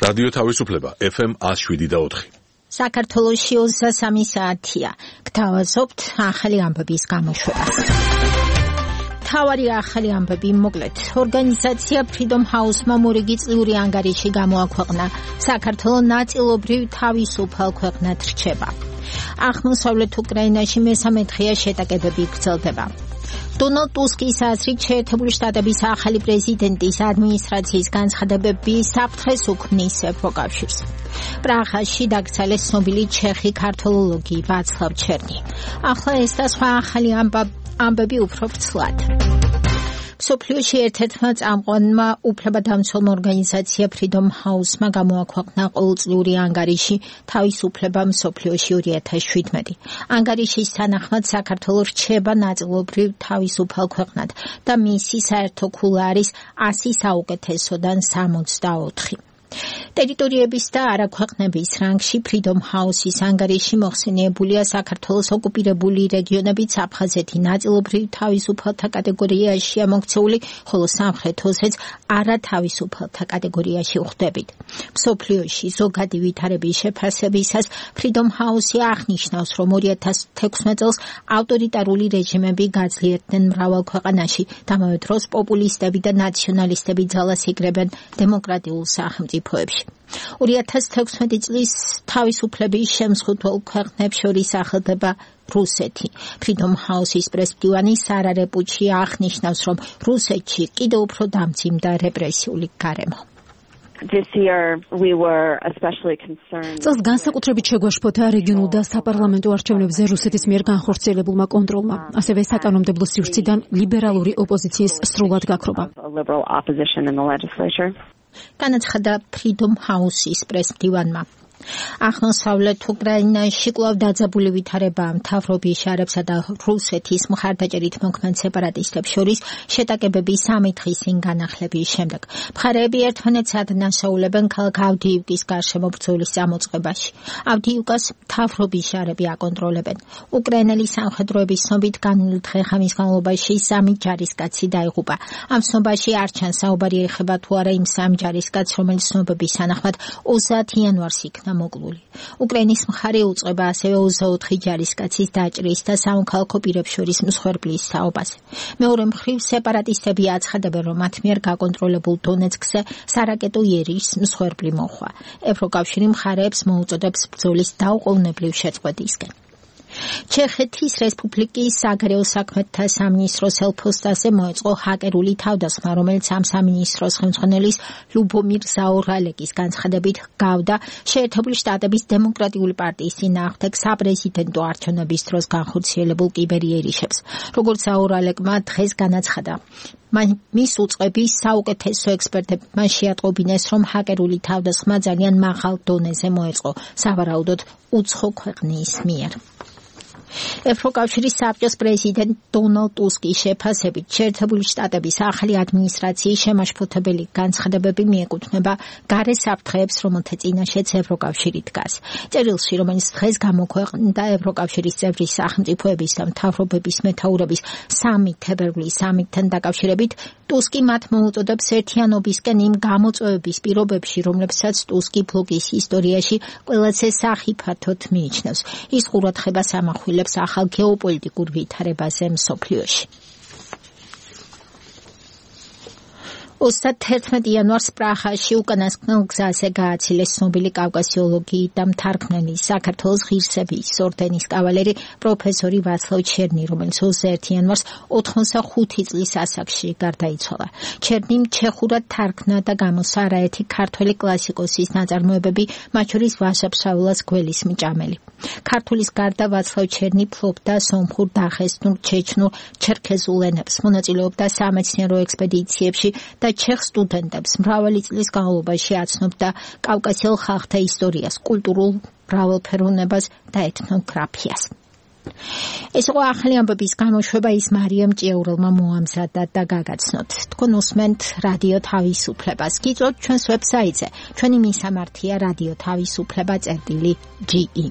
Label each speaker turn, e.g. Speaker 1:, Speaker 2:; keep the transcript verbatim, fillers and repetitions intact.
Speaker 1: რადიო თავისუფლება ეფ ემ one oh seven point four.
Speaker 2: საქართველოში ოცდასამი საათია. გთავაზობთ ახალი ამბების გამოშვებას. თავარი ახალი ამბები მოკლედ. ორგანიზაცია Freedom House-მა მორიგი წლიური ანგარიში გამოაქვეყნა. საქართველო ნაწილობრივ თავისუფალ ქვეყნად რჩება. აღმოსავლეთ უკრაინაში მესამე დღეა შეტაკებები გრძელდება. დონალდ ტუსკის აზრით შეერთებული შტატების ახალი პრეზიდენტის ადმინისტრაციის განცხადებები საფრთხეს უქმნის ევროკავშირს. პრაღაში დაკრძალეს ცნობილი ჩეხი ქართველოლოგი ვაცლავ ჩერნი. ახლა ეს და სხვა ახალი ამბები უფრო ვრცლად. მსოფლიოში ერთ-ერთმა წამყვანმა უფლებადამცველმა ორგანიზაცია Freedom House-მა გამოაქვეყნა ყოველწლიური ანგარიში თავისუფლება მსოფლიოში two thousand seventeen. ანგარიშის თანახმად საქართველო რჩება ნაწილობრივ თავისუფალ ქვეყნად და მისი საერთო ქულა არის one hundred საუკეთესოდან sixty-four. ტერიტორიების და არაქვეყნების რანგში Freedom House-ის ანგარიში მოხსენიებულია საქართველოს ოკუპირებული რეგიონებიც აფხაზეთი ნაწილობრივ თავისუფალთა კატეგორიაშია მოქცეული, ხოლო სამხრეთ ოსეთს არათავისუფალთა კატეგორიაში ვხვდებით. მსოფლიოში ზოგადი ვითარების შეფასებისას Freedom House-ი აღნიშნავს, რომ two thousand sixteen წელს ავტორიტარული რეჟიმები გაძლიერდნენ მრავალ ქვეყანაში, ამავე დროს პოპულისტები და ნაციონალისტები ძალას იგრებენ დემოკრატიულ სახელმწიფოებში. two thousand sixteen წლის თავისუფლების შემსხუთულ ქვეყნებს შორის ახალდება რუსეთი. Freedom House-ის პრესმდივანი სარა რეპუჩი აღნიშნავს, რომ რუსეთში კიდევ უფრო დამძიმდა რეპრესიული გარემო.
Speaker 3: This year we were especially concerned.
Speaker 4: წელს განსაკუთრებით შეგვაშფოთა რეგიონულ და საპარლამენტო არჩევნებზე რუსეთის მიერ განხორციელებულმა კონტროლმა, ასევე საკანონმდებლო სივრციდან ლიბერალური ოპოზიციის სრულად გაქრობა.
Speaker 2: განაცხადა Freedom House-ის პრესმდივანმა. აღმოსავლეთ უკრაინაში კვლავ დაძაბული ვითარებაა მთავრობის შარებსა და რუსეთის მხარდაჭერით მოქმედ სეპარატისტებს შორის შეტაკებები სამი დღის წინ განახლების შემდეგ. მხარეები ერთმანეთს ადანაშაულებენ ქალაქ ავდიივკის გარშემო ბრძოლის წამოწყებაში. ავდიივკას მთავრობის შარები აკონტროლებენ. უკრაინელი სამხედროების ცნობით განვლილ დღე-ღამის განმავლობაში სამი ჯარისკაცი დაიღუპა. ამ ცნობაში არ ჩანს საუბარი ეხება თუ არა იმ სამ ჯარისკაცს, რომელიც ცნობების თანახმად twenty იანვარს იქნა მოკლული. უკრაინის მხარე უწყება ასევე twenty-four ჯარისკაცის დაჭრის და სამოქალაქო პირებს შორის მსხვერპლის თაობაზე. მეორე მხრივ სეპარატისტები აცხადებენ, რომ მათ მიერ გაკონტროლებულ დონეცკზე სარაკეტო იერიშს მსხვერპლი მოჰყვა. ევროკავშირი მხარეებს მოუწოდებს ბრძოლის დაუყოვნებლივ შეწყვეტისკენ. ჩეხეთის რესპუბლიკის საგარეო საქმეთა სამინისტროს ელფოსტაზე მოეწყო ჰაკერული თავდასხმა, რომელიც ამ სამინისტროს ხელმძღვანელის ლუბომირ ზაორალეკის განცხადებით გავდა შეერთებული შტატების დემოკრატიული პარტიის წინააღმდეგ საპრეზიდენტო არჩევნების დროს განხორციელებულ კიბერიერიშებს. როგორც ზაორალეკმა დღეს განაცხადა, მის უწყების საუკეთესო ექსპერტებმა შეატყობინეს, რომ ჰაკერული თავდასხმა ძალიან მაღალ დონეზე მოეწყო, სავარაუდოდ უცხო ქვეყნის მიერ. ევროკავშირის საბჭოს პრეზიდენტ დონალდ ტუსკის შეფასებით შეერთებული შტატების ახალი ადმინისტრაციის შემაშფოთებელი განცხადებები მიეკუთვნება გარე საფრთხეებს, რომელთა წინაშეც ევროკავშირი დგას. წერილში, რომელიც დღეს გამოქვეყნდა ევროკავშირის წევრი სახელმწიფოების და მთავრობების მეთაურების სამი თებერვლის სამიტთან დაკავშირებით, ტუსკი მათ მოუწოდებს ერთიანობისკენ იმ გამოწვევების პირობებში, რომლებსაც ტუსკი ბლოკის ისტორიაში ყველაზე სახიფათოდ მიიჩნევს. ის ყურადღებას ამახვილებს ახალ გეოპოლიტიკურ ვითარებაზე მსოფლიოში. twenty-one იანვარს პრაღაში უკანასკნელ გზაზე გააცილეს ცნობილი კავკასიოლოგი და მთარგმნელი საქართველოს ღირსების ორდენის კავალერი პროფესორი ვაცლავ ჩერნი, რომელიც twenty-one იანვარს ოცდახუთი წლის ასაკში გარდაიცვალა. ჩერნიმ ჩეხურად თარგმნა და გამოსცა არაერთი ქართველი კლასიკოსის ნაწარმოებები, მათ შორის ვაშაპშაველას გველის მჭამელი. ქართულის გარდა ვაცლავ ჩერნი ფლობდა სომხურ, დაღესტნურ, ჩეჩნურ, ჩერქეზულ ენებს, მონაწილეობდა სამეცნიერო ექსპედიციებში და ჩეხ სტუდენტებს მრავალი წლის განმავლობაში აცნობდა კავკასიელ ხალხთა ისტორიას, კულტურულ მრავალფეროვნებას და ეთნოგრაფიას. ეს იყო ახალი ამბების გამოშვება, ის მარიამ ჭიაურელმა მოამზადა და გაგაცნოთ. თქვენ უსმენთ რადიო თავისუფლებას. გიწვევთ ჩვენს ვებსაიტზე. ჩვენი მისამართია რადიო თავისუფლება წერტილი ჯი ი.